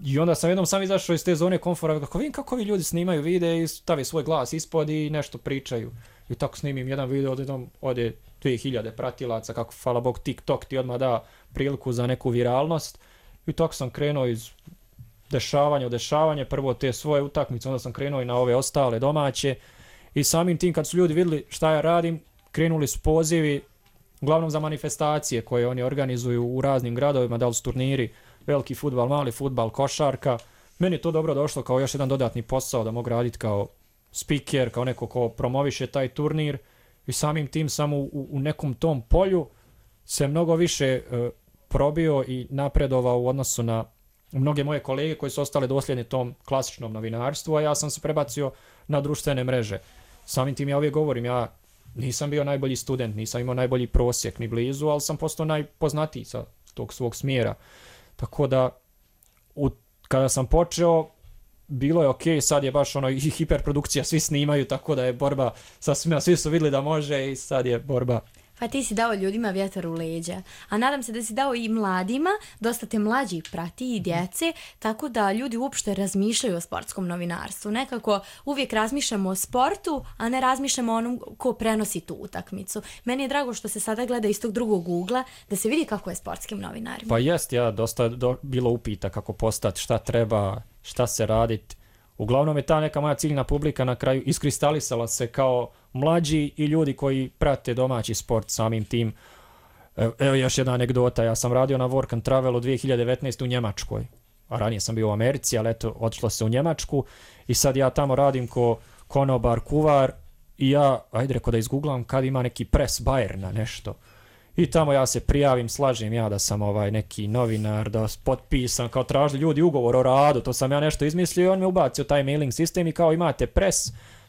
I onda sam jednom sam izašao iz te zone komfora, kako vidim kako ovi ljudi snimaju videe i stavi svoj glas ispod i nešto pričaju. I tako snimim jedan video, ode 2000 pratilaca, kako hvala Bog TikTok ti odmah da priliku za neku viralnost. I tako sam krenuo iz dešavanja u dešavanje, prvo te svoje utakmice, onda sam krenuo i na ove ostale domaće. I samim tim kad su ljudi vidjeli šta ja radim, krenuli su pozivi, uglavnom za manifestacije koje oni organizuju u raznim gradovima, da li su turniri, veliki fudbal, mali fudbal, košarka. Meni je to dobro došlo kao još jedan dodatni posao da mogu raditi kao speaker, kao neko ko promoviše taj turnir i samim tim samo u nekom tom polju se mnogo više probio i napredovao u odnosu na mnoge moje kolege koji su ostali dosljedni tom klasičnom novinarstvu, a ja sam se prebacio na društvene mreže. Samim tim ja uvijek govorim, ja nisam bio najbolji student, nisam imao najbolji prosjek ni blizu, ali sam postao najpoznatiji sa tog svog smjera. Tako da, kada sam počeo, bilo je okej, sad je baš i hiperprodukcija, svi snimaju, tako da je borba sa svima, svi su vidjeli da može i sad je borba. Pa ti si dao ljudima vjetar u leđa, a nadam se da si dao i mladima, dosta te mlađi prati i djece, tako da ljudi uopšte razmišljaju o sportskom novinarstvu. Nekako uvijek razmišljamo o sportu, a ne razmišljamo o onom ko prenosi tu utakmicu. Meni je drago što se sada gleda iz tog drugog ugla, da se vidi kako je sportskim novinarima. Pa jest, dosta bilo upita kako postati, šta treba, šta se raditi. Uglavnom je ta neka moja ciljna publika na kraju iskristalisala se kao mlađi i ljudi koji prate domaći sport samim tim. Evo još jedna anegdota, ja sam radio na Work and Travelu 2019 u Njemačkoj, a ranije sam bio u Americi, ali eto, otišlo se u Njemačku i sad ja tamo radim ko konobar, kuvar i ja, ajde reko da izgooglam kad ima neki pres Bayerna nešto. I tamo ja se prijavim, slažem ja da sam neki novinar, da potpisam, kao tražili ljudi ugovor o radu, to sam ja nešto izmislio i on me ubacio taj mailing sistem i kao imate pres,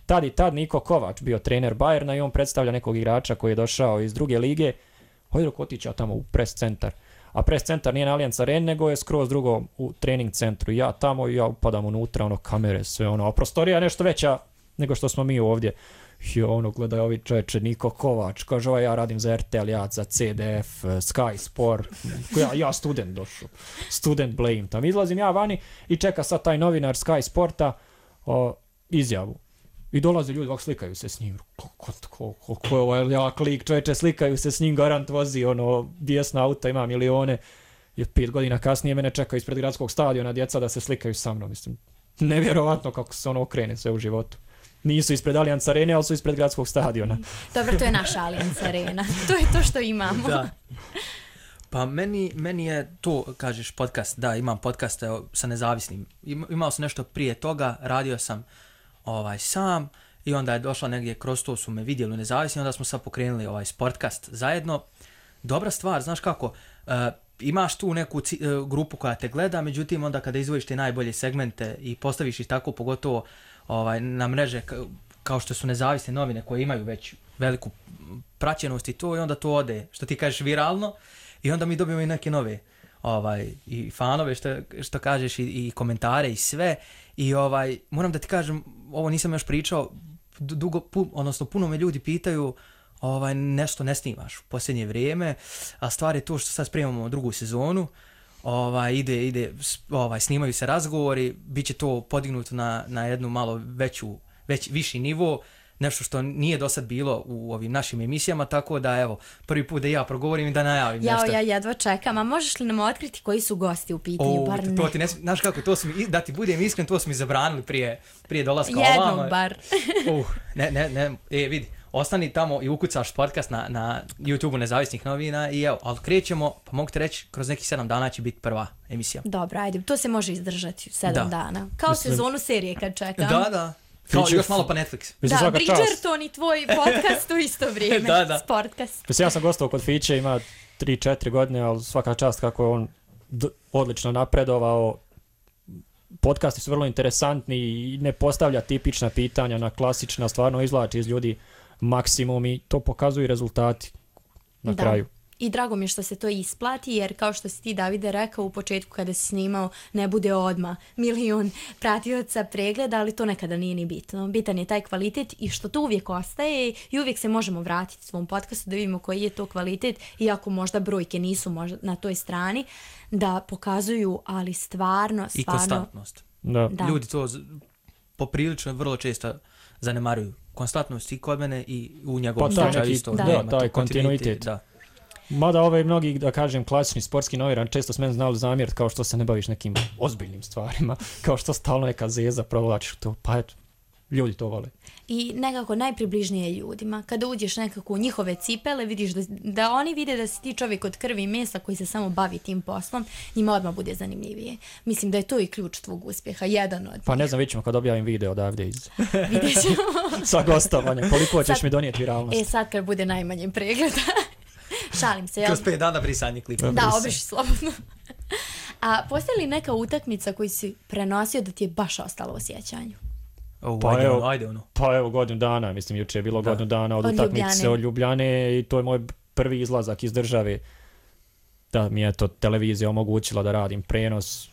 tad i tad Niko Kovač bio trener Bayerna i on predstavlja nekog igrača koji je došao iz druge lige, hojde dok otići ja tamo u pres centar. A pres centar nije na Allianz Areni, nego je skroz drugo u trening centru. Ja tamo i ja upadam unutra, kamere, sve a prostorija je nešto veća nego što smo mi ovdje. I gledaj ovi čovječe, Niko Kovač, kaže ja radim za RTL, ja za CDF, Sky Sport, ja student došao, student blame, tam izlazim ja vani i čeka sad taj novinar Sky Sporta izjavu. I dolaze ljudi, ovako slikaju se s njim, ko je ovaj jak lik, čovječe, slikaju se s njim, garant vozi, bijesna auta, ima milione, i 5 godina kasnije mene čeka ispred gradskog stadiona djeca da se slikaju sa mnom, mislim, nevjerovatno kako se okrene sve u životu. Nisu ispred Allianz Arene, ali su ispred gradskog stadiona. Dobro, to je naša Allianz Arena. To je to što imamo. Da. Pa meni je to, kažeš, podcast, da, imam podcast sa nezavisnim. Imao sam nešto prije toga, radio sam sam i onda je došla negdje, kroz to su me vidjeli u nezavisni, onda smo sad pokrenuli sportkast zajedno. Dobra stvar, znaš kako, imaš tu neku grupu koja te gleda, međutim onda kada izvojiš te najbolje segmente i postaviš ih tako, pogotovo na mreže kao što su nezavisne novine koje imaju već veliku praćenost i to, i onda to ode, što ti kažeš, viralno, i onda mi dobijemo i neke nove i fanove, što kažeš, i komentare i sve. I moram da ti kažem, ovo nisam još pričao, odnosno puno me ljudi pitaju nešto ne snimaš u posljednje vrijeme, a stvar je to što sad spremamo drugu sezonu, snimaju se razgovori, bit će to podignuto na jednu malo viši nivo. nešto što nije do sad bilo u ovim našim emisijama, tako da evo, prvi put da ja progovorim i da najavim nešto. Ja jedva čekam, a možeš li nam otkriti koji su gosti u pitanju? Bar ne. To ti znaš kako, to su mi, da ti budem iskren, to su mi zabranili prije dolaska ovamo. Jednog bar. Ne, vidi, ostani tamo i ukucaš podcast na YouTube-u Nezavisnih novina i evo, ali krećemo, pa mogu ti reći, kroz nekih 7 dana će biti prva emisija. Dobro, ajde, to se može izdržati 7 dana. Kao sezonu serije kad čekam. Da. Kao još malo pa Netflix. Da, Bridgerton i tvoj podcast u isto vrijeme. Da. Sportcast. Mislim, ja sam gostovao kod Fiće, ima 3-4 godine, ali svaka čast kako je on odlično napredovao. Podcasti su vrlo interesantni i ne postavlja tipična pitanja na klasična, stvarno izvlači iz ljudi maksimum i to pokazuju rezultati na kraju. I drago mi je što se to isplati, jer kao što si ti, Davide, rekao u početku kada si snimao, ne bude odmah 1 milion pratioca pregleda, ali to nekada nije ni bitno. Bitan je taj kvalitet i što to uvijek ostaje i uvijek se možemo vratiti svom podcastu da vidimo koji je to kvalitet, iako možda brojke nisu možda na toj strani, da pokazuju, ali stvarno... I konstantnost. Da. Ljudi to poprilično vrlo često zanemaruju. Konstantnost i kod mene i u njegovom slučaju isto. Taj kontinuitet. Da. Mada mnogi, da kažem, klasični sportski novinar često s mene znali zamjeriti kao što se ne baviš nekim ozbiljnim stvarima, kao što stalno neka zeza provlačiš to, pa eto, ljudi to vole. I nekako najpribližnije ljudima. Kada uđeš nekako u njihove cipele, vidiš da oni vide da si ti čovjek od krvi i mesa koji se samo bavi tim poslom, njima odmah bude zanimljivije. Mislim da je to i ključ tvog uspjeha, jedan od... Pa ne znam, vidjet ćemo kad objavim video odavde iz... Vidjet ćemo. Sa gostovanja, koliko ćeš mi donijeti viralnost. Sad kad bude najmanje pregleda. Šalim se, jel? Kroz 5 dana brisanje klipa. Da, obriši slobodno. A postoji li neka utakmica koju si prenosio da ti je baš ostalo u sjećanju? Pa evo, godinu dana, mislim, juče je bilo godinu dana od utakmice od Ljubljane i to je moj prvi izlazak iz države. Da mi je to televizija omogućila da radim prenos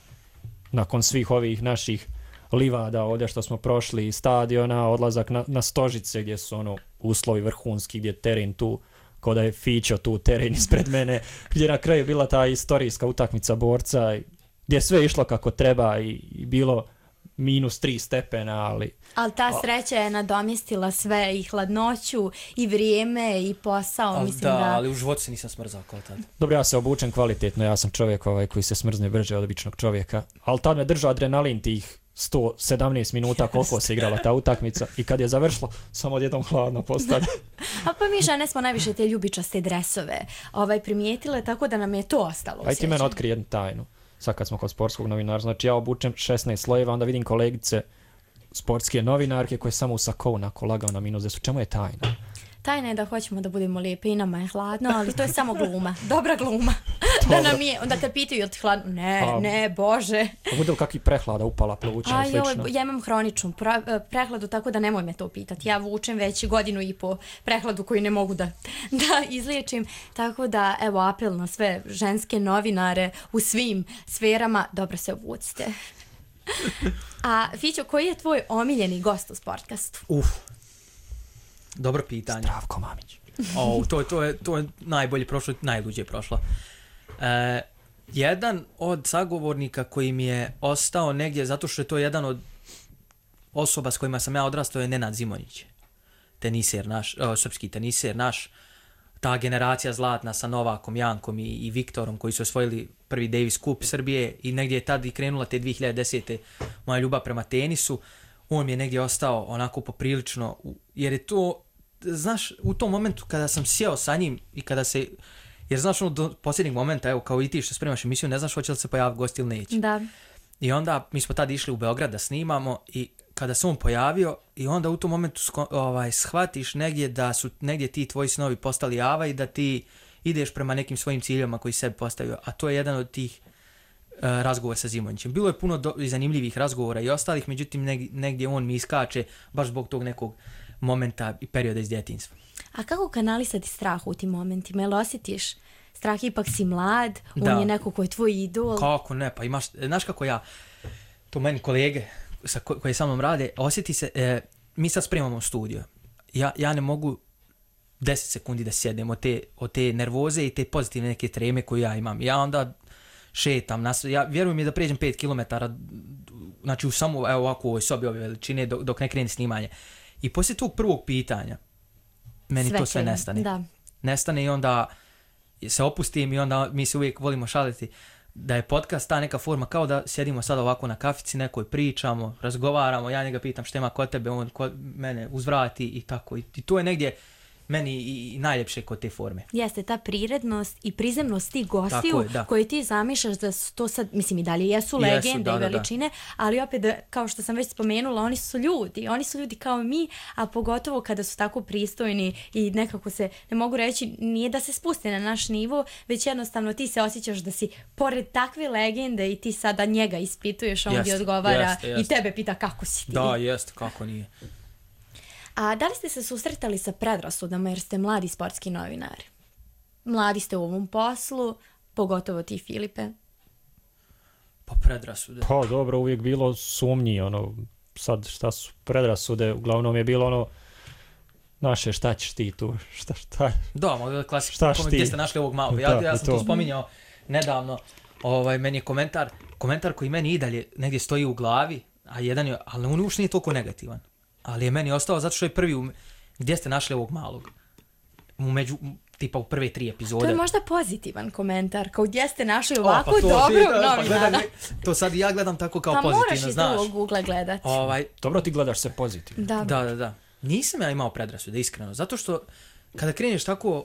nakon svih ovih naših livada ovdje što smo prošli, stadiona, odlazak na Stožice gdje su uslovi vrhunski, gdje je teren tu, kao da je Fićo tu teren ispred mene, gdje na kraju bila ta istorijska utakmica Borca, gdje je sve išlo kako treba i bilo -3 stepena, ali ta sreća je nadomjestila sve, i hladnoću, i vrijeme, i posao. Ali u životu se nisam smrzao kao tad. Dobro, ja se obučem kvalitetno, ja sam čovjek koji se smrzne brže od običnog čovjeka, ali tad me držao adrenalin tih 117 minuta koliko se igrala ta utakmica i kad je završilo, samo odjednom hladno postane. A pa mi žene smo najviše te ljubičaste dresove primijetile, tako da nam je to ostalo. Aj ti meni otkri jednu tajnu. Sad kad smo kod sportskog novinara, znači ja obučem 16 slojeva, onda vidim kolegice sportske novinarke koje samo u sakou onako lagao na minus 10. Čemu je tajna? Tajna je da hoćemo da budemo lijepe i nama je hladno, ali to je samo gluma. Dobra gluma. Da nam je, onda kad pitaju je li ti hladno, ne, bože. A bude li kakvi prehlada upala pluća i slično? Ja imam hroničnu prehladu, tako da nemoj me to pitati. Ja vučem već 1.5 godinu prehladu koju ne mogu da izliječim. Tako da, evo, apel na sve ženske novinare u svim sferama, dobro se obucite. A Fićo, koji je tvoj omiljeni gost u Sportcastu? Dobro pitanje. Zdravko Mamić. To je najbolje prošlo, najluđe prošlo. Jedan od sagovornika koji mi je ostao negdje, zato što je to jedan od osoba s kojima sam ja odrastao, je Nenad Zimonjić. Teniser naš, srpski teniser naš. Ta generacija zlatna sa Novakom, Jankom i Viktorom koji su osvojili prvi Davis Cup Srbije i negdje je tad i krenula te 2010. moja ljubav prema tenisu. On mi je negdje ostao onako poprilično, jer je to, znaš, u tom momentu kada sam sjeo sa njim i kada se, jer znaš do posljednjeg momenta, evo kao i ti što spremaš emisiju, ne znaš hoće li se pojaviti gost ili neće. Da. I onda mi smo tad išli u Beograd da snimamo i kada se on pojavio i onda u tom momentu shvatiš negdje da su negdje ti tvoji snovi postali java i da ti ideš prema nekim svojim ciljama koji sebi postavio, a to je jedan od tih razgovor sa Zimonjićem. Bilo je puno zanimljivih razgovora i ostalih, međutim negdje on mi iskače baš zbog tog nekog momenta i perioda iz djetinjstva. A kako kanalisati strah u tim momentima? Jel osjetiš strah, ipak si mlad, on je neko koji je tvoj idol? Kako ne, pa imaš, znaš kako ja, to meni kolege koji sa mnom rade, osjeti se, mi sad spremamo studio. Ja ne mogu 10 sekundi da sjednem od te nervoze i te pozitivne neke treme koje ja imam. Ja onda šetam, ja vjerujem mi da pređem 5 km, znači u samo ovako u ovoj sobi ove veličine dok ne krene snimanje. I poslije tog prvog pitanja, meni to sve nestane. Da. Nestane i onda se opustim i onda mi se uvijek volimo šaliti da je podcast ta neka forma kao da sjedimo sad ovako na kafici nekoj, pričamo, razgovaramo, ja njega pitam šta ima kod tebe, on kod mene uzvrati i tako. I to je negdje meni i najljepše kod te forme. Jeste, ta prirednost i prizemnost tih gostiju koje ti zamišljaš da su to sad, mislim i dalje jesu legende i veličine, ali opet, kao što sam već spomenula, oni su ljudi kao mi, a pogotovo kada su tako pristojni i nekako se, ne mogu reći, nije da se spuste na naš nivo, već jednostavno ti se osjećaš da si pored takve legende i ti sada njega ispituješ, on ti odgovara i tebe pita kako si ti. Da, jeste, kako nije. A da li ste se susretali sa predrasudama jer ste mladi sportski novinari? Mladi ste u ovom poslu, pogotovo ti, Filipe. Pa predrasude. Pa dobro, uvijek bilo sumnji, sad šta su predrasude, uglavnom je bilo naše šta ćeš ti tu, šta. Da, klasično, gdje ste našli ovog malog. Ja sam to spominjao nedavno, meni je komentar koji meni i dalje negdje stoji u glavi, a jedan je, ali on uopšte nije toliko negativan. Ali je meni ostao zato što je prvi gdje ste našli ovog malog. Tipa u prve 3 epizode. To je možda pozitivan komentar, kao gdje ste našli ovako dobrog novinara. To sad ja gledam tako kao pozitivno, znaš. Pa moraš i drugog ugla gledati. Dobro, ti gledaš se pozitivno. Da. Nisam ja imao predrasude, iskreno. Zato što kada kreneš tako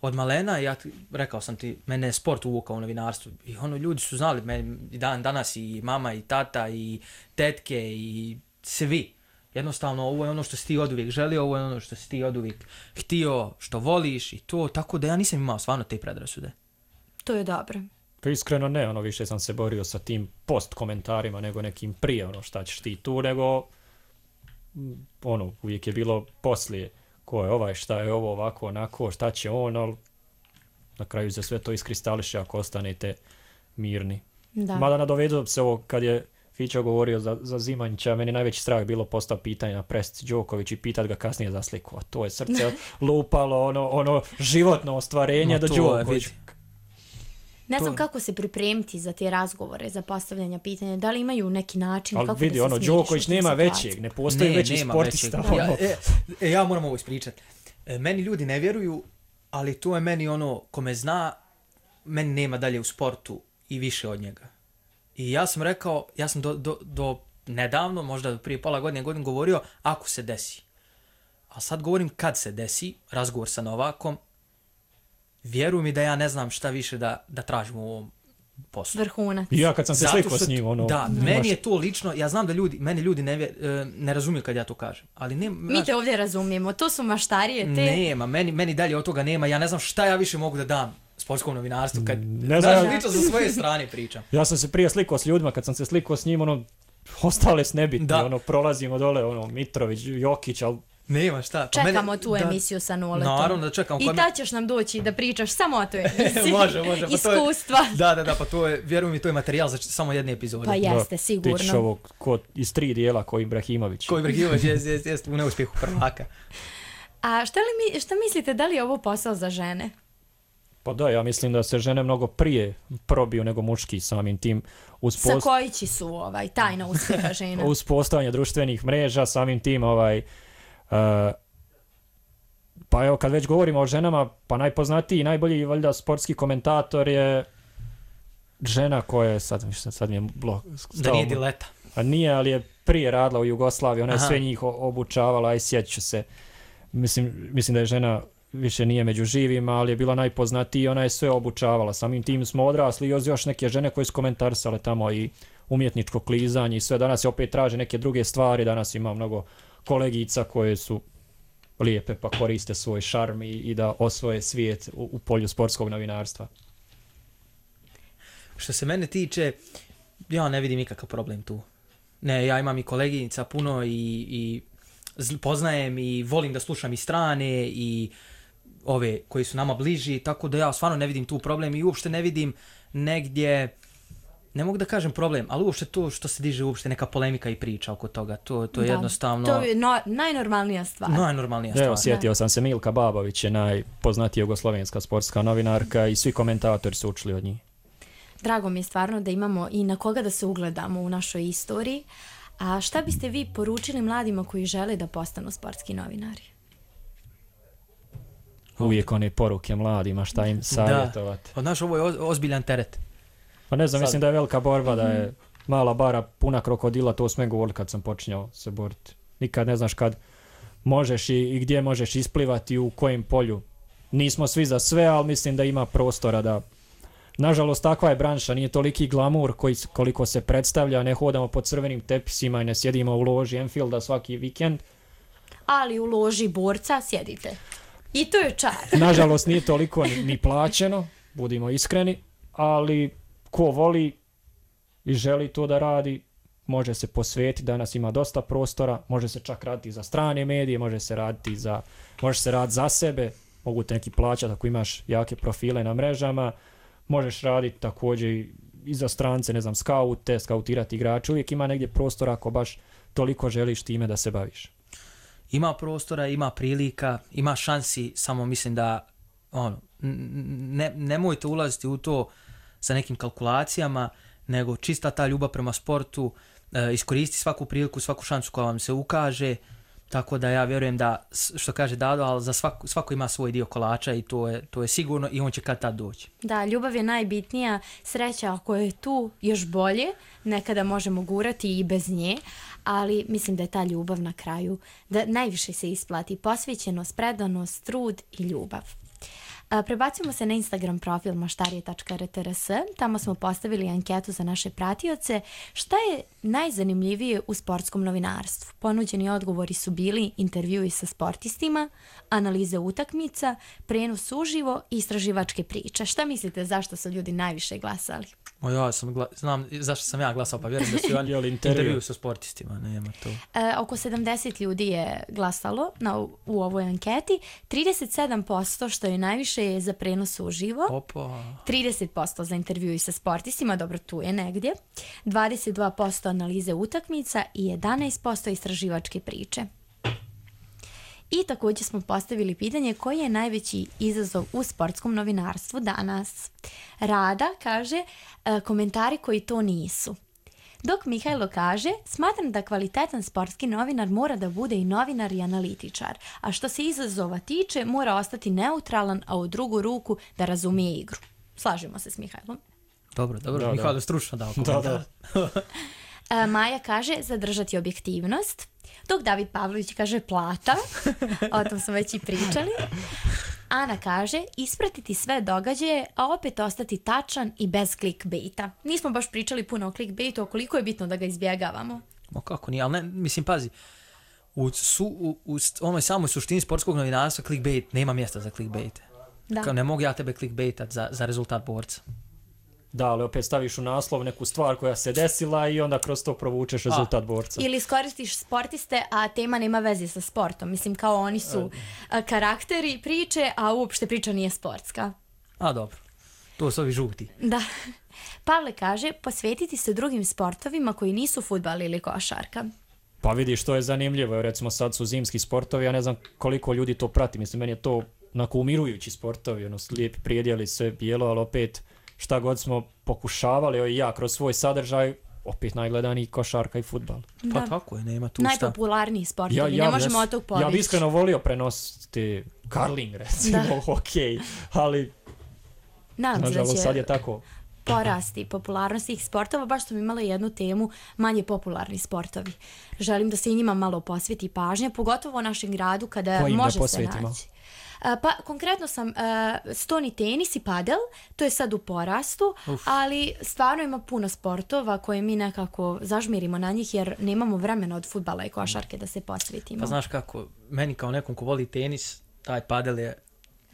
od malena, rekao sam ti, mene je sport uvukao u novinarstvu. I ljudi su znali, danas i mama i tata i tetke i svi. Jednostavno, ovo je ono što si ti oduvijek želio, ovo je ono što si ti oduvijek htio, što voliš i to, tako da ja nisam imao stvarno te predrasude. To je dobro. Pa iskreno ne, više sam se borio sa tim post komentarima nego nekim prije, šta ćeš ti tu, nego uvijek je bilo poslije, ko je ovaj, šta je ovo, ovako, onako, šta će on, ali na kraju se sve to iskristališe ako ostanete mirni. Da. Mada nadovedu se ovo kad je Fićo govorio za Zimanjića, meni najveći strah bilo postao pitanje na presici Đoković i pitat ga kasnije za sliku, a to je srce lupalo, ono životno ostvarenje do Đoković. Ne znam kako se pripremiti za te razgovore, za postavljanje pitanja, da li imaju neki način kako vidi, da se smiriš. Đoković nema većeg, ne postoji veći sportista. Ja moram ovo ispričati. Meni ljudi ne vjeruju, ali to je meni ko me zna, meni nema dalje u sportu i više od njega. I ja sam rekao, ja sam do nedavno, možda prije pola godine govorio, ako se desi. A sad govorim kad se desi, razgovor sa Novakom, vjeruj mi da ja ne znam šta više da tražim u ovom poslu. Vrhunac. I ja kad sam se slikao s njim, Da, meni je to lično, ja znam da meni ljudi ne razumiju kad ja to kažem. Ali mi te ovdje razumijemo, to su maštarije te. Nema, meni dalje od toga nema, ja ne znam šta ja više mogu da dam sportskom novinarstvu, kad lično sa svoje strane pričam. Ja sam se prije slikao s ljudima, kad sam se slikao s njim, ostale s nebitni, prolazimo dole, Mitrović, Jokić, ali nema šta. Čekamo tu emisiju sa Noletom. Naravno da čekamo. I tad ćeš nam doći da pričaš samo o toj emisiji. Može. Iskustva. Da, pa to je, vjeruj mi, to je materijal za samo jedne epizode. Pa jeste, sigurno. Ti ćeš ovo iz 3 dijela ko Ibrahimović. Ko Ibrahimović, jeste u neuspjehu prvaka. A šta mislite, da li je ovo posao za žene? Pa da, ja mislim da se žene mnogo prije probiju nego muški samim tim. Sa koji su tajna uspjeha žena? Uz postojanje društvenih mreža, samim tim pa evo kad već govorimo o ženama, pa najpoznatiji i najbolji valjda sportski komentator je žena koja je, sad mi je da nije Dileta. A nije, ali je prije radila u Jugoslaviji, ona je sve njih obučavala i sjeću se. Mislim da je žena više nije među živima, ali je bila najpoznatiji i ona je sve obučavala. Samim tim smo odrasli i još neke žene koje su komentarisale tamo i umjetničko klizanje i sve. Danas se opet traže neke druge stvari, danas ima mnogo kolegica koje su lijepe pa koriste svoj šarm i da osvoje svijet u polju sportskog novinarstva. Što se mene tiče, ja ne vidim nikakav problem tu. Ne, ja imam i koleginica puno i poznajem i volim da slušam i strane i ove koji su nama bliži, tako da ja stvarno ne vidim tu problem i uopšte ne vidim negdje, ne mogu da kažem problem, ali uopšte to što se diže uopšte neka polemika i priča oko toga, to je jednostavno... To je najnormalnija stvar. Evo, sjetio sam se, Milka Babović je najpoznatija jugoslovenska sportska novinarka i svi komentatori su učili od njih. Drago mi je stvarno da imamo i na koga da se ugledamo u našoj istoriji. A šta biste vi poručili mladima koji žele da postanu sportski novinari? Uvijek one poruke mladima, šta im savjetovati. Da, znaš, ovo je ozbiljan teret. Pa ne znam, mislim da je velika borba, da je mala bara puna krokodila, to smo govorili kad sam počinjao se boriti. Nikad ne znaš kad možeš i gdje možeš isplivati, u kojem polju. Nismo svi za sve, ali mislim da ima prostora da... Nažalost, takva je branša, nije toliki glamur koliko se predstavlja, ne hodamo po crvenim tepisima i ne sjedimo u loži Enfielda svaki vikend. Ali u loži borca sjedite. I to je čar. Nažalost, nije toliko ni plaćeno, budimo iskreni, ali ko voli i želi to da radi, može se posvetiti. Danas ima dosta prostora, može se čak raditi za strane medije, može se raditi za sebe, mogu te neki plaćati ako imaš jake profile na mrežama, možeš raditi također i za strance, ne znam, skautirati igrače, uvijek ima negdje prostora ako baš toliko želiš time da se baviš. Ima prostora, ima prilika, ima šansi, samo mislim da nemojte ulaziti u to sa nekim kalkulacijama, nego čista ta ljubav prema sportu, iskoristi svaku priliku, svaku šansu koja vam se ukaže, tako da ja vjerujem da, što kaže Dado, ali za svako ima svoj dio kolača i to je sigurno i on će kad tad doći. Da, ljubav je najbitnija, sreća ako je tu još bolje, nekada možemo gurati i bez nje, ali mislim da je ta ljubav na kraju, da najviše se isplati posvećenost, predanost, trud i ljubav. Prebacimo se na Instagram profil maštarije.rtrs, tamo smo postavili anketu za naše pratioce. Šta je najzanimljivije u sportskom novinarstvu? Ponuđeni odgovori su bili intervjui sa sportistima, analize utakmica, prenos uživo i istraživačke priče. Šta mislite zašto su ljudi najviše glasali? Ja znam zašto sam ja glasao, pa vjerujem da su oni intervju sa sportistima, nema to. Oko 70 ljudi je glasalo u ovoj anketi, 37% što je najviše je za prenos uživo, 30% za intervju sa sportistima, dobro tu je negdje, 22% analize utakmica i 11% istraživačke priče. I također smo postavili pitanje koji je najveći izazov u sportskom novinarstvu danas. Rada kaže komentari koji to nisu. Dok Mihajlo kaže, smatram da kvalitetan sportski novinar mora da bude i novinar i analitičar, a što se izazova tiče mora ostati neutralan, a u drugu ruku da razumije igru. Slažemo se s Mihajlom. Dobro, Mihajlo stručno dao komentar. Maja kaže zadržati objektivnost, dok David Pavlović kaže plata, o tom smo već i pričali. Ana kaže ispratiti sve događaje, a opet ostati tačan i bez clickbaita. Nismo baš pričali puno o clickbaitu, koliko je bitno da ga izbjegavamo. Kako nije, ali ne, mislim, pazi, u onoj samoj suštini sportskog novinarstva clickbait, nema mjesta za clickbait. Kao ne mogu ja tebe clickbaitat za rezultat borca. Da, ali opet staviš u naslov neku stvar koja se desila i onda kroz to provučeš rezultat borca. Ili iskoristiš sportiste, a tema nema veze sa sportom. Mislim, kao oni su karakteri priče, a uopšte priča nije sportska. Dobro. To su ovi žuti. Da. Pavle kaže, posvetiti se drugim sportovima koji nisu fudbal ili košarka. Pa vidiš, to je zanimljivo. Recimo sad su zimski sportovi, ja ne znam koliko ljudi to prati. Mislim, meni je to onako umirujući sportovi, lijepi prijedjeli, sve bijelo, ali opet šta god smo pokušavali, i ja kroz svoj sadržaj, opet najgledaniji košarka i fudbal. Pa tako je, nema tu šta. Najpopularniji sportovi, ne možemo od tog povići. Ja bi iskreno volio prenositi curling, recimo, hokej, ali nažalost sad je tako. Porasti popularnosti ih sportova, baš smo imali jednu temu, manje popularni sportovi. Želim da se i njima malo posveti pažnja, pogotovo u našem gradu kada može se naći. Pa konkretno sam stoni tenis i padel, to je sad u porastu, ali stvarno ima puno sportova koje mi nekako zažmirimo na njih jer nemamo vremena od fudbala i košarke da se posvetimo. Pa znaš kako, meni kao nekom ko voli tenis, taj padel je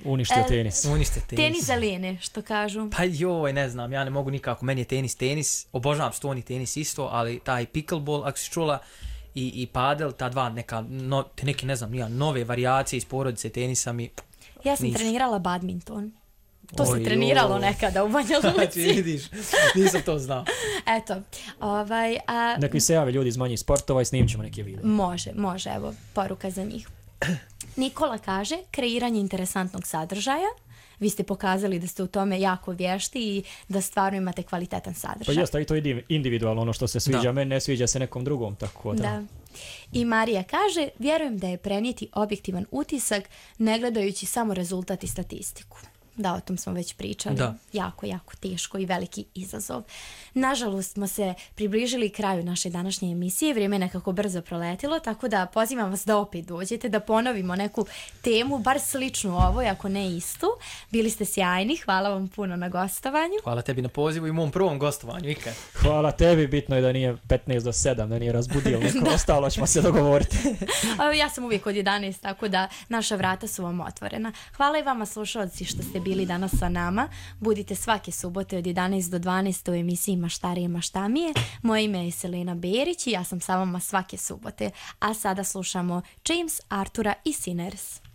uništio tenis. Tenis za lijene, što kažu. Pa joj, ne znam, ja ne mogu nikako, meni je tenis, obožavam stoni tenis isto, ali taj pickleball, ako si čula, i padel, ta dva neke, ne znam, nove varijacije iz porodice tenisa mi ja sam trenirala badminton. To se treniralo nekada u Banja Luci. Vidiš, nisam to znao. Eto, Neki se jave ljudi iz manjih sportova i snimit ćemo neke videe. Može, evo, poruka za njih. Nikola kaže, kreiranje interesantnog sadržaja. vi ste pokazali da ste u tome jako vješti i da stvarno imate kvalitetan sadržaj. Pa jeste, i to je individualno, ono što se sviđa meni, ne sviđa se nekom drugom, tako da. Da. I Marija kaže, vjerujem da je prenijeti objektivan utisak ne gledajući samo rezultat i statistiku. Da, o tom smo već pričali. Da. Jako, jako teško i veliki izazov. Nažalost smo se približili kraju naše današnje emisije, vrijeme je nekako brzo proletilo, tako da pozivam vas da opet dođete, da ponovimo neku temu, bar sličnu ovoj, ako ne istu. Bili ste sjajni, hvala vam puno na gostovanju. Hvala tebi na pozivu i mom prvom gostovanju ikad. Hvala tebi, bitno je da nije 15 do 7, da nije razbudio neko, ostalo ćemo se dogovoriti. Ja sam uvijek od 11, tako da naša vrata su vam otvorena. Hvala i vama slušalci što ste bili danas sa nama. Budite svake subote od 11 do 12 u emisiji Maštarije Maštamije. Moje ime je Selena Berić i ja sam sa vama svake subote. A sada slušamo James Artura i Sinners.